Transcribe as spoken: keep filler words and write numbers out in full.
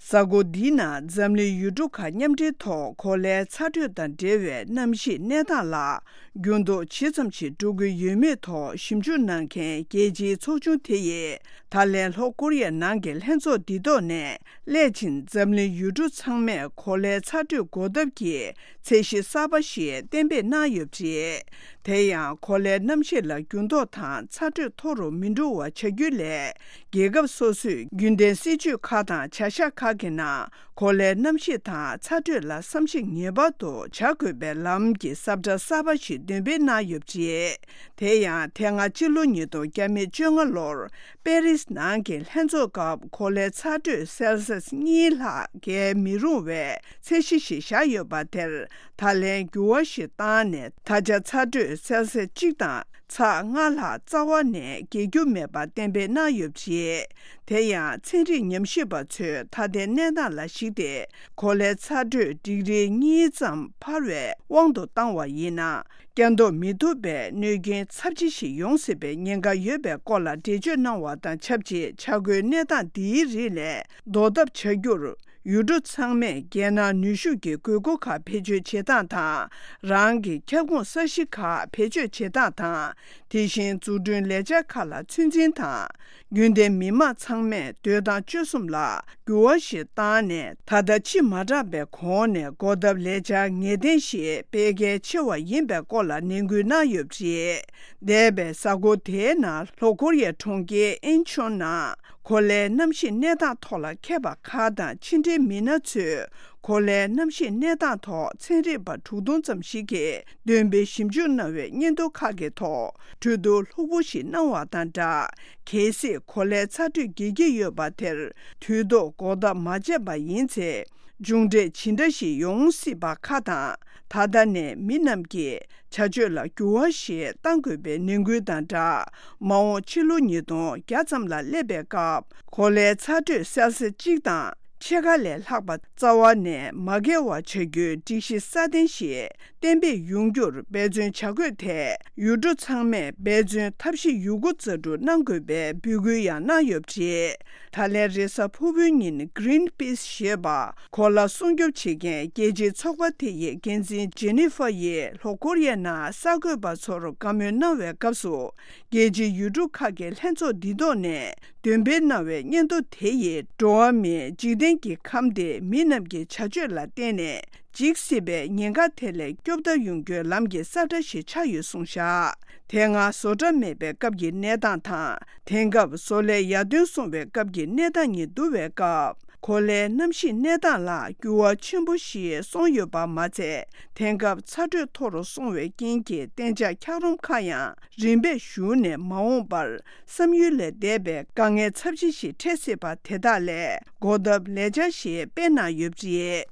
གཟའ་འཁོར་འདིའི་ནང་འཛམ་གླིང་ཡུལ་གྲུ་ཁག་མཉམ་འབྲེལ་ཐོག་གོ་ལའི་ཚ་དྲོད་དང་འབྲེལ་བའི་གནམ་གཤིས་གནས་སྟངས་ལ་འགྱུར་ལྡོག་ཇི་ཙམ་ཞིག་འགྲོ་གི་ཡོད་མེད་ཐོག་ཞིབ་འཇུག་གནང་མཁན་རྒྱལ་སྤྱིའི་ཚོགས་ཆུང་དེ་ཡིས་ད་ལན་ལྷོ་ཀོ་རི་ཡའི་ནང་གི་ལྷན་ཚོགས་འདི་ཐོག་ནས་སླད་ཕྱིན་འཛམ་གླིང་ཡུལ་གྲུ་ཚང་མས་གོ་ལའི་ཚ་དྲོད་འགོག་ཐབས་ཀྱི་ཚད་གཞི་གསར་པ་ཞིག་གཏན་འབེབས་གནང་ཡོད་པ་རེད། དེ་ཡང་གོ་ལའི་གནམ་གཤིས་ལ་འགྱུར་ལྡོག་དང་ཚ་དྲོད་མཐོ་རུ་མི་འགྲོ་བ་བྱ་རྒྱུའི་སླད། རྒྱལ་ཁབ་སོ་སོས་རྒྱུན་ལྡན་སྲིད་ཇུས་ཁག་དང་བྱ་གཞག་ཁག་གི་ནང་གོ་ལའི་གནམ་གཤིས་དང་ཚ་དྲོད་ལ་བསམ་གཞིག་ངེས་པར་དུ་བྱ་དགོས་པའི་ལམ་གྱི་ཟབ་ཁྲ་གསར་པ་ཞིག་འདོན་སྤེལ་གནང་ཡོད་པ་རེད། དེ་ཡང་དེ་སྔ་སྤྱི་ལོ་ཉིས་སྟོང་བཅོ་ལྔ་ལོར་པེ་རིས་ནང་གི་ལྷན་ཚོགས་སྐབས་གོ་ལའི་ཚ་དྲོད་སེལ་སི་ཡས་གཉིས་ལྷག་བརྒལ་མི་རུང་བའི་ཚད་གཞི་ཞིག་བཞག་ཡོད་པ་དེར་ད་ལན་འགྱུར་བ་ཞིག་བཏང་ནས་ད་ཆ་ཚ་དྲོད་སེལ་སི་གཅིག་དང་ཚེག་ལྔ་ལྷག་རྩ་བ་ནས་བརྒལ་རྒྱུ་མེད་པ་གཏན་འབེབས་གནང་ཡོད་པ་རེད། དེ་ཡང་ཚན་རིག་ཉམས་ཞིབ་པ་ཚོས་ད་ལྟའི་གནས་སྟངས་ལ་གཞིགས་ཏེ་གོ་ལའི་ཚ་དྲོད་ཌིག་རི་གཉིས་ཙམ་འཕར་བའི་དབང་དུ་བཏང་བ་ཡིན་ན། བསྐྱར་ཟློག་མི་ཐུབ་པའི་གནོད་རྐྱེན་ཚབས་ཆེ་ཞིག་ཡོང་སྲིད་པའི་ཉེན་ཁ་ཡོད་པའི་སྐོར་ལ་འགྲེལ་བརྗོད་གནང་བ་དང་ཆབས་ཅིག་བྱ་དགོས་གནས་སྟངས་འདིའི་རིགས་ལས་ཟློག་ཐབས་བྱ་རྒྱུར། ཡུལ་གྲུ་ཚང་མས་རྒྱལ་ནང་ནུས་ཤུགས་ཀྱི་དགོས་མཁོ་ཁག་བེད་སྤྱོད་བྱེད་སྟངས་དང་། རང་གི་ཁྱབ་ཁོངས་ས་གཞི་ཁག་བེད་སྤྱོད་བྱེད་སྟངས་དང་། དེ་བཞིན་འཛུགས་སྐྲུན་ལས་འཆར་ཁག་ལ་ཚོད་འཛིན་དང་། རྒྱུན་ལྡན་མི་མང་ཚང་མས་སྡོད་སྟངས་སྤྱོད་གསུམ་ལ་འགྱུར་བ་ཞིག་བཏང་ནས། ད་ལྟ་ཕྱི་མ་དྲགས་པའི་གོང་ནས་འགོག་ཐབས་ལས་འཆར་ངེས་གཏན་ཞིག་སྤེལ་གལ་ཆེ་བ་ཡིན་པའི་སྐོར་ལ་ནན་སྐུལ་གནང་ཡོད་པ་རེད། འདས་པའི་གཟའ་འཁོར་དེའི་ནང་ལྷོ་ཀོ་རི་ཡའི་གྲོང་ཁྱེར་ཨིན་ཆོན་ནང་གོ་ལའི་གནམ་གཤིས་གནས་སྟངས་ཐོག་ལ་མཁས་པ་ཁག་དང་ཕྱི་འབྲེལ་མི་སྣ་ཚོས་གོ་ལའི་གནམ་གཤིས་གནས་སྟངས་ཐོག་ཚན་རིག་པ་དྲུག་སྟོང་ཙམ་ཞིག་གིས་འདོན་སྤེལ་ཞིབ་འཇུག་གནང་བའི་སྙན་ཐོ་ཁག་གི་ཐོག་གྲོས་བསྡུར་ལྷུག་པོ་ཞིག་གནང་བ་དང་སྦྲགས། གལ་སྲིད་གོ་ལའི་ཚ་དྲོད་རྒྱས་ཀྱི་ཡོད་པ་དེར་དུས་ཐོག་འགོག་ཐབས་མ་བྱས་པ་ཡིན་ཚེ། མཇུག་འབྲས་ཇི་འདྲ་ཞིག་ཡོང་སྲིད་པ་ཁག་དང་། ད་ལྟ་ནས་མི་རྣམས་ཀྱིས་བྱ་སྤྱོད་ལ་འགྱུར་བ་ཞིག་གཏང་དགོས་པའི་ནན་སྐུལ་དང་སྦྲགས། མ་འོངས་ཕྱི་ལོ་ཉིས་སྟོང་བརྒྱ་ཙམ་ལ་སླེབས་པའི་སྐབས་གོ་ལའི་ཚ་དྲོད་སེལ་སི་གཅིག་དང་ཕྱེད་ཀ་ལས་ལྷག་པ་རྩ་བ་ནས་མ་བརྒལ་བ་བྱ་རྒྱུའི་སྒྲིག་གཞི་སྲ་བརྟན་ཞིག་གཏན་འབེབས་ཡོང་རྒྱུར་འབད་བརྩོན་བྱ་དགོས་ཐད། ཡུལ་གྲུ་ཚང་མས་འབད་བརྩོན་ཐབས་ཤེས་ཡོད་རྒུ་རྩལ་སྤྲུགས་གནང་དགོས་པའི་འབོད་སྐུལ་ཡང་གནང་ཡོད་པ་རེད། ད་ལན་རེས་གཟའ་ཕུར་བུའི་ཉིན་Greenpeace་ཞེས་པ་གོ་ལ་སྲུང་སྐྱོབ་བྱེད་མཁན་རྒྱལ་སྤྱིའི་ཚོགས་པ་དེ་ཡི་འགན་འཛིན་ཇེ་ནི་ཧྥ་ཡིས་ལྷོ་ཀོ་རི་ཡའི་ནང་གསར་འགོད་པ་ཚོར་བཀའ་མོལ་གནང་བའི་སྐབས་སུ། རྒྱལ་སྤྱིའི་ཡུལ་གྲུ་ཁག་གི་ལྷན་ཚོགས་འདི་ཐོག་ནས་འདོན་སྤེལ་གནང་བའི་སྙན་ཐོ་དེ་ཡིས་འགྲོ་བ་མིའི་འཇིག་རྟེན་གྱི་ཁམས་དེ་མི་རྣམས་ཀྱི་བྱ་སྤྱོད་ལ་བརྟེན་ནས། འཇིག་སྲིད་པའི་ཉེན་ཁ་དེ་ལས་སྐྱོབ་ཐབས་ཡོང་རྒྱུའི་ལམ་གྱི་ས་ཁྲ་ཞིག་ཆགས་ཡོད་གསུངས་བཞག་དེ་སྔ་བཟོ་གྲྭ་མེད་པའི་སྐབས་ཀྱི་གནས་སྟངས་དང་། དེང་སྐབས་བཟོ་ལས་ཡར་ཐོན་སོང་བའི་སྐབས་ཀྱི་གནས་སྟངས་གཉིས་བསྡུར་བའི་སྐབས། གོ་ལའི་གནམ་གཤིས་གནས་སྟངས་ལ་འགྱུར་བ་ཆེན་པོ་ཞིག་སོང་ཡོད་པ་མ་ཚད། དེང་སྐབས་ཚ་དྲོད་མཐོ་རུ་སོང་བའི་རྐྱེན་གྱིས་གཏན་འཇགས་འཁྱགས་རོམ་ཁག་ཡང་རིམ་པས་ཞུ་ནས་མ་འོངས་པར་བསམ་ཡུལ་ལས་འདས་པའི་དཀའ་ངལ་ཚབས་ཆེ་ཞིག་འཕྲད་སྲིད་པ་དེ་དག་ལས་འགོག་ཐབས་ལས་འཆར་ཞིག་སྤེལ་གནང་ཡོད་པ་རེད།